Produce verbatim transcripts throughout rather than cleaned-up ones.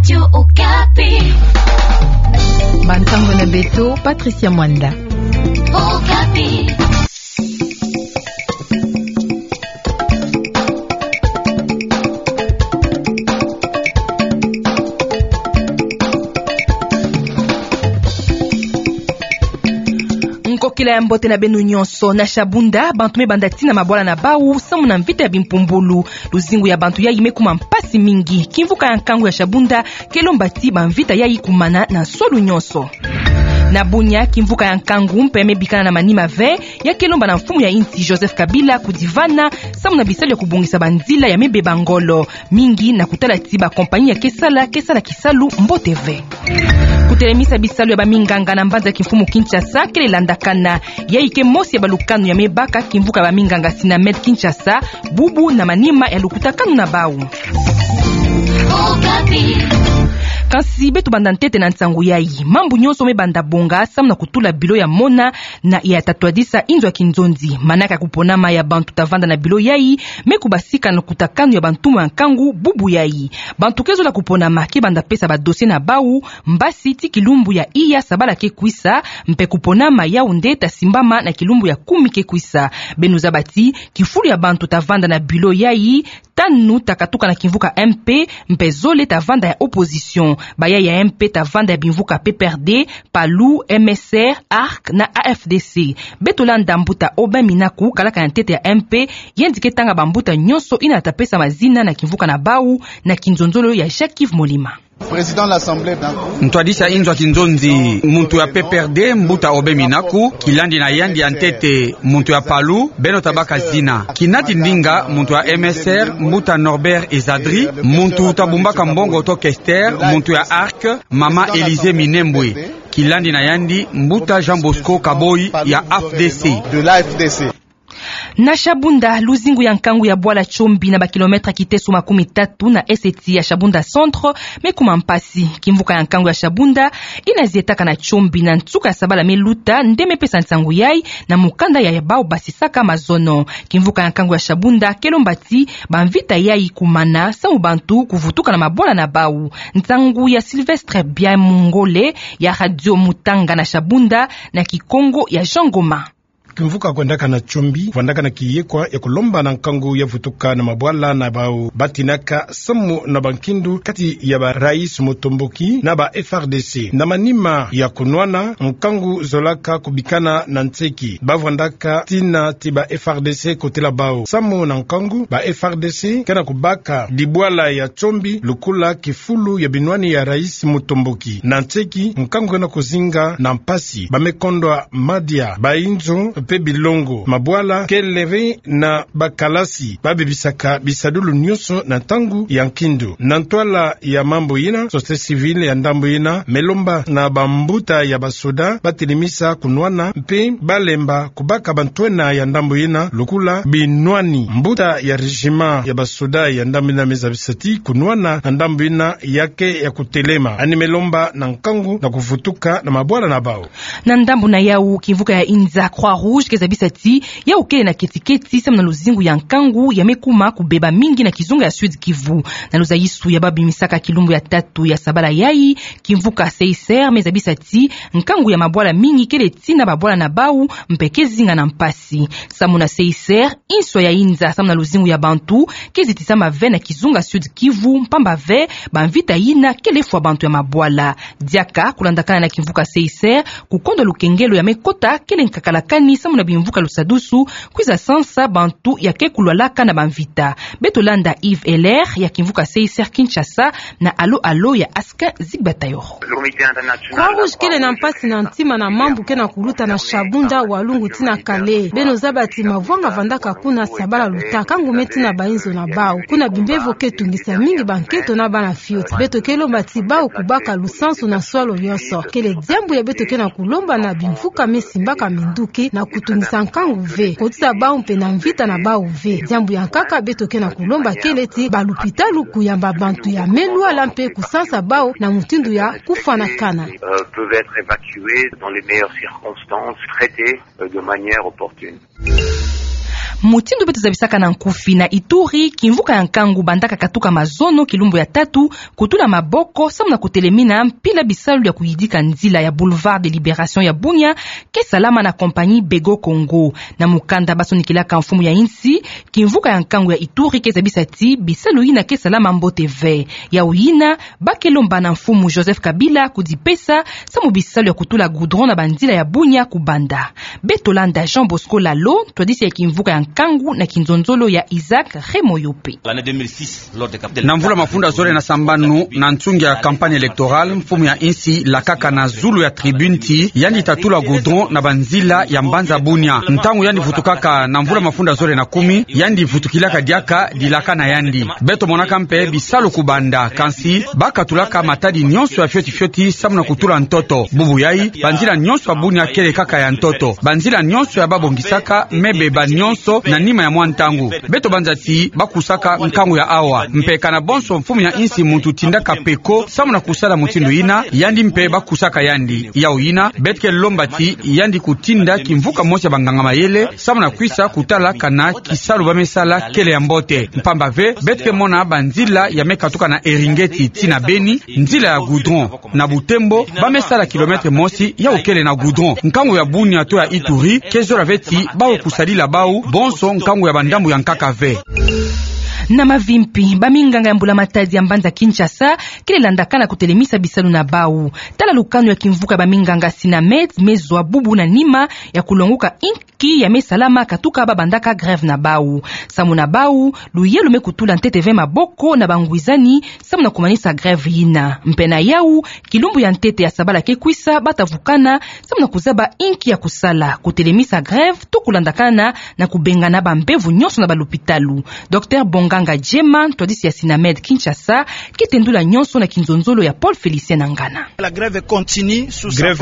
Okapi. Bansango na beto, Patricia Mwanda. Okapi. Nkokila ya mbote na beno nyonso. Na Shabunda, bantu me banda tina mabwala na bau, samu na mvita ya bimpumbulu. Luzingu ya bantu yayi me kuma mpasi mingi. Kimvuka ya nkangu ya Shabunda ke lomba ti bamvita yayi kumana na nsolu nyonso. Na Bunia, kimvuka ya nkangu mpe me bikana na manima ve, ya ke lomba na mfumu ya insi Joseph Kabila kudivana, samu na bisalu ya kubongisa banzila ya me beba ngolo. Mingi na kutala ti bakompani ya ke sala, ke sala kisalu mbote ve. Kutelemisa bisalu ya baminganga na mbanza kimfumu Kinshasa kele landakana. Yayi ke mosi ya balukanu ya me baka kimvuka ya baminganga Sinamed Kinshasa, bubu na manima ya lukutakanu na bau. Okapi. Kansi beto banda ntete na nsangu yayi. Mambu nyonso me banda bonga, samu na kutula bilo ya mona, na ya tatwadisa inzo ya kinzonzi. Manaka ya kuponama ya bantu ta vanda na bilo yayi, me kubasika na lukutakanu ya bantumwa ya nkangu bubu yayi. Bantu ke zola kuponama ke banda pesa ba dossier na bau, mbasi ti kilumbu ya iya sabala ke kwisa, mpe kuponama Yaoundé ta simbama na kilumbu ya kumi ke kwisa. Beno zaba ti, kifulu ya bantu ta vanda na bilo yayi, tanu ta katuka na kimvuka M P, mpe zole ta vanda ya opposition. Bayayi ya M P ta vanda ya bimvuka P P R D, PALU, M S R, ARC na A F D C. Beto landa mbuta Aubin Minaku, kalaka ya ntete ya M P, yandi ke tanga bambuta nyonso yina ta pesa mazina na kimvuka na bau, na kinzonzolo ya Jacques Yves Molima. Président de l'Assemblée, donc. Ntwadisi ya inzo ya kinzonzi, muntu ya P P R D, mbuta Aubin Minaku, kilandi na yandi ya ntete, muntu ya PALU, beno ta baka zina. Kinati ndinga, muntu ya M S R, mbuta Norbert Ezadri, muntu ta bumbaka mbongo to kester, muntu ya ARC, mama Élysée Minembwe. Kilandi na yandi, mbuta Jean Bosco Kaboyi ya A F D C. De l'A F D C. Na Shabunda, luzingu ya nkangu ya bwala Tshombi na ba kilomètre kiteso makumi tatu na eseti ya Shabunda Centre, me kuma mpasi. Kimvuka ya nkangu ya Shabunda, yina zietaka na Tshombi na nsuka ya sabala me luta, nde me pesa nsangu yayi, na mukanda ya bau basisaka mazono. Kimvuka ya nkangu ya Shabunda ke lomba ti bamvita yayi kumana, samu bantu kuvutuka na mabwala na bau. Nsangu ya Sylvestre Biamungole, ya Radio Mutanga na Shabunda, na Kikongo ya Jean Ngoma. Kimvuka kwendaka na Tshombi, kwendaka na kiyekwa ya kulomba na nkangu ya vutuka na mabwala na bau batinaka samu na bankindu kati ya ba Raïs Mutomboki na ba F R D C. Na manima ya kunwana, nkangu zolaka kubikana na nseki. Bavwandaka tina ti ba F R D C kotela bau. Samu na nkangu, ba F R D C ke na kubaka dibwala ya Tshombi, lukula kifulu ya binwani ya Raïs Mutomboki. Na nseki, nkangu ke na kuzinga na mpasi. Ba me kondwa madia, ba inzo, mpe bilongo. Mabwala kele ve na bakalasi, babebisaka bisadulu nyonso na ntangu ya nkindu. Na ntwala ya mambu yina, société civile ya ndambu yina me lomba na bambuta ya basoda batelemisa kunwana, mpe balemba kubaka bantwenia ya ndambu yina, lukula binwani. Mbuta ya régiment ya basoda ya ndambu yina me zabisa ti kunwana na ndambu yina ya ke ya kutelema. Yandi me lomba na nkangu na kuvutuka na mabwala na bau. Na ndambu na yau, kimvuka ya inza Croix-Rouge ke zabisa ti yau kele na keti-keti samu na luzingu ya nkangu ya me kuma kubeba mingi na kizunga ya Sud-Kivu. Na luzayisu ya babimisaka kilumbu ya tatu ya sabala yayi, kimvuka C I C R me zabisa ti nkangu ya mabwala mingi kele tina babwala na bau, mpe ke zinga na mpasi. Samu na C I C R, inswa ya inza samu na luzingu ya bantu ke zitisama ve na kizunga Sud-Kivu, mpamba ve bamvita yina kele fwa bantu ya mabwala. Diaka, kulandakana na kimvuka C I C R, kukondo lukengelo ya me kota kele nkakalakani samu na bimvuka lusadusu, kwiza sansa bantu ya ke kulwalaka na bamvita. Beto landa Yves Heller ya kimvuka C I C R Kinshasa na Allo Allo ya Askin Zigbatayo. Croix-Rouge kele na mpasi na ntima na mambu ke na kuluta na Shabunda, Walungu tii na Kale. Beno zaba ti mavwanga vandaka kuna sabala luta, nkangu me tina ba inzo na bau. Kuna bimbevo ke tungisa mingi bankento na bana fioti. Beto ke lomba ti bau kubaka lusansu na nswalu nyonso. Kele diambu ya beto ke na kulomba na bimvuka me simbaka minduki na kutungisa nkangu ve, kotisa bau mpe na mvita na bau ve. Diambu ya nkaka beto ke na kulomba kele ti balupitalu kuyamba bantu ya me lwala mpe kusansa bau na mutindu ya kufwanakana. Euh, peuvent être évacués dans les meilleures circonstances, traités, euh, de manière opportune. Mutindu beto zabisaka na nkufi, na Ituri, kimvuka ya nkangu bandaka katuka mazono kilumbu ya tatu, kutula maboko samu na kutelemina mpila bisalu ya kuyidika nzila ya Boulevard de Liberation ya Bunia, ke salama na compagnie Bego Congo. Na mukanda basonikilaka mfumu ya insi, kimvuka ya nkangu ya Ituri ke zabisa ti bisalu yina ke salama mbote ve. Yawu yina, ba ke lomba na mfumu Joseph Kabila kudipesa samu bisalu ya kutula goudron na banzila ya Bunia kubanda. Beto landa Jean Bosco Lalo, ntwadisi ya kimvuka ya nkangu na kinzonzolo ya Isaac Remoyope. Na mvula mafunda zole na sambanu, na nsungi ya campagne électorale, mfumu ya insi lakaka na zulu ya tribune ti yandi ta tula goudron na banzila ya mbanza Bunia. Ntangu yandi vutukaka na mvula mafunda zole na kumi, yandi vutukilaka diaka dilaka na yandi. Beto monaka mpe bisalu kubanda, kansi ba katulaka matadi nyonso ya fioti fioti samu na kutula ntoto. Bubu yai, banzila nyonso ya Bunia kele kaka ya ntoto. Banzila nyonso ya ba bongisaka me beba nyonso na nima ya mwa ntangu. Beto banza ti ba kusaka nkangu ya awa. Mpe kana bonso mfumu ya insi muntu tindaka peko samu na kusala mutindu yina, yandi mpe ba kusaka yandi. Yawu yina, beto ke lomba ti yandi kutinda kimvuka mosi ya banganga mayele, samu na kwisa kutala kana kisalu ba me sala kele ya mbote. Mpamba ve, beto ke mona banzila ya me katuka na Eringeti tii na Beni, nzila ya goudron. Na Butembo, ba me sala kilomètre mosi yawu kele na goudron. Nkangu ya Bunia to ya Ituri ke zola ve ti bawu kusadila bawu bonso nkangu ya bandambu ya nkaka ve. Na mavimpi, baminganga ya mbula-matadi ya mbanza Kinshasa kele landakana kutelemisa bisalu na bawu. Tala lukanu ya kimvuka ya baminganga Sinamed me zwa bubu na nima ya kulonguka inki ya me salama katuka ba bandaka grève na bawu. Samu na bawu, luyalu me kutula ntete ve maboko na bangwizani samu na kumanisa grève yina. Mpe na yawu, kilumbu ya ntete ya sabala ke kwisa, ba ta vukana samu na kuzaba inki ya kusala, kutelemisa grève to kulandakana na kubengana bambevo nyonso na balopitalu. Docteur Bonganga Djema, ntwadisi ya Sinamed Kinshasa, ke tendula nyonso na kinzonzolo ya Paul Félicien Nangana. Grève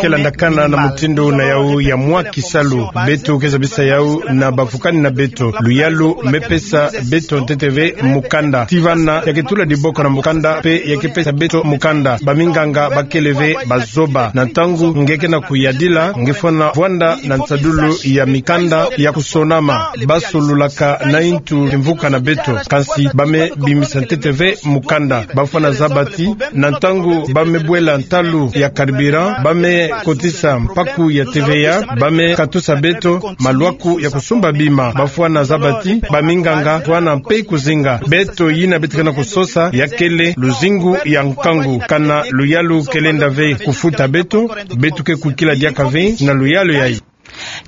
ke landakana na mutindu na yawu ya mwa kisalu. Beto ke zabisa yawu na bavukani na beto. Luyalu me pesa beto ntete ve mukanda. Tii vana, ya ke tula diboko na mukanda, mpe ya ke pesa beto mukanda. Baminganga ba kele ve bazoba. Na ntangu nge ke na kuyadila, nge fwana vwanda na nsadulu ya mikanda ya kusonama. Ba solulaka na intu kimvuka na beto. Kansi ba me bimisa ntete ve mukanda. Ba fwana zaba ti, na ntangu ba me bwela ntalu ya carburant, ba me kotisa mpaku ya T V A, ba me katusa beto malwaku ya kusumba bima. Ba fwana zaba ti, baminganga fwana mpe kuzinga. Beto yina beto ke na kusosa, ya kele luzingu ya nkangu. Kana luyalu ke lenda ve kufuta beto, beto ke kwikila diaka ve na luyalu yai.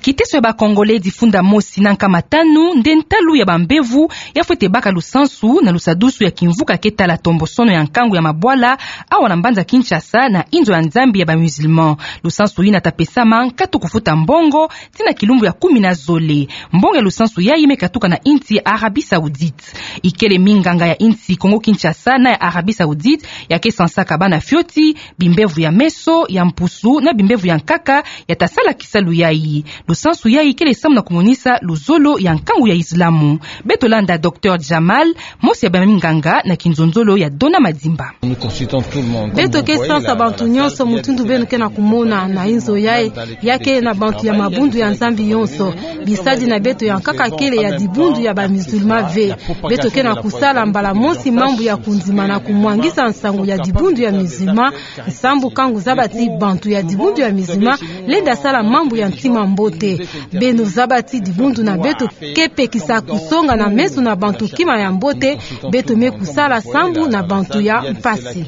Kiteso ya ba Congolais difunda mosi na nkama tanu nde ntalu ya bambevo ya fwete baka lusansu na lusadusu ya kimvuka ke tala tombosono ya nkangu ya mabwala awa na mbanza Kinshasa na inzo ya Nzambi ya ba musulman. Lusansu yina ta pesama nkatu kufuta mbongo tii na kilumbu ya kumi na zole. Mbongo ya lusansu yai me katuka na insi ya Arabie Saoudite. Ikele minganga ya insi Congo Kinshasa na ya Arabie Saoudite ya ke sansaka bana fioti bimbevo ya meso, ya mpusu na bimbevo ya nkaka ya ta sala kisalu yai. Lusansu yai kele samu na kumonisa luzolo ya nkangu ya Islamu. Beto landa Docteur Jamal, mosi ya baminganga na kinzonzolo ya Dona Madimba. Beto ke sansa bantu nyonso mutindu beno ke na kumona na inzo yai, ya ke na bantu ya mabundu ya Nzambi yonso. Bisadi na beto ya nkaka kele ya dibundu ya ba musulman ve. Beto ke na kusala mbala mosi mambu ya kundima na kumwangisa nsangu ya dibundu ya musulman, sambu ka ngu zaba ti bantu ya dibundu ya musulman lenda sala mambu ya ntima mbote. Beno zaba ti dibundu na beto ke pekisa kusonga na meso na bantu kima ya mbote, beto me kusala sambu na bantu ya mpasi.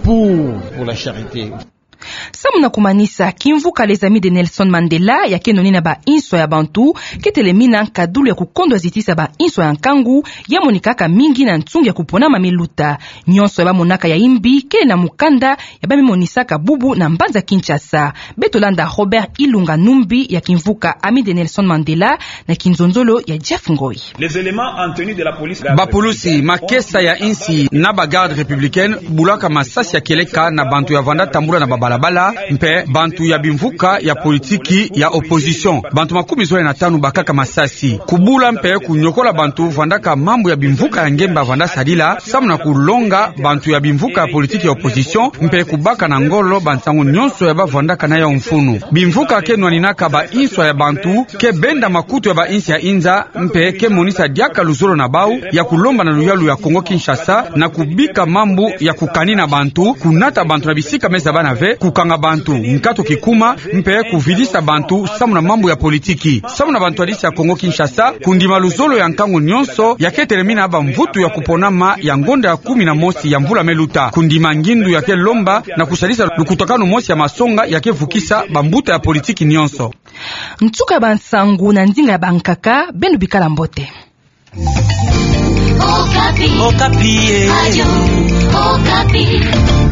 Samu na kumanisa, kimvuka Les Amis de Nelson Mandela ya ke noni na ba inswa ya bantu ke telemina nkadulu ya kukondwa zitisa ba inswa ya nkangu ya monikaka mingi na nsungi ya kuponama me luta. Nyonso ya ba monaka ya imbi kele na mukanda ya ba me monisaka bubu na mbanza Kinshasa. Beto landa Robert Ilunga Numbi ya kimvuka Amis de Nelson Mandela na kinzonzolo ya Jeff Ngoi. Bapulusi, makesa ya insi na ba garde républicaine bulaka masasi ya kieleka na bantu ya vanda tambula na babalabala, mpe bantu ya bimvuka ya politiki ya opposition. Bantu makumi zole na tanu bakaka masasi. Kubula mpe kunyokola bantu vandaka mambu ya bimvuka ya ngemba vanda sadila, samu na kulonga bantu ya bimvuka ya politiki ya opposition, mpe kubaka na ngolo bansangu nyonso ya bavandaka na yawu mfunu. Bimvuka ke nwaninaka ba inswa ya bantu, ke benda makutu ya ba insi ya inza, mpe ke monisa diaka luzolo na bawu ya kulomba na luyalu ya Kongo Kinshasa na kubika mambu ya kukanina bantu, kunata bantu na bisika me zabana ve, kukanga bantu nkatu kikuma, mpe kuvidisa bantu samu na mambu ya politiki. Samu na bantwadisi ya Kongo Kinshasa, kundima luzolo ya nkangu nyonso ya ke telemina bamvutu ya kuponama ya ngonda ya kumi na mosi ya mvula me luta. Kundima ngindu ya ke lomba na kusalisa lukutakanu mosi ya masonga ya ke vukisa bambuta ya politiki nyonso. Nsuka ya bansangu na ndinga ya bankaka, beno bikala mbote. Okapi. Okapi, eh. Radio Okapi.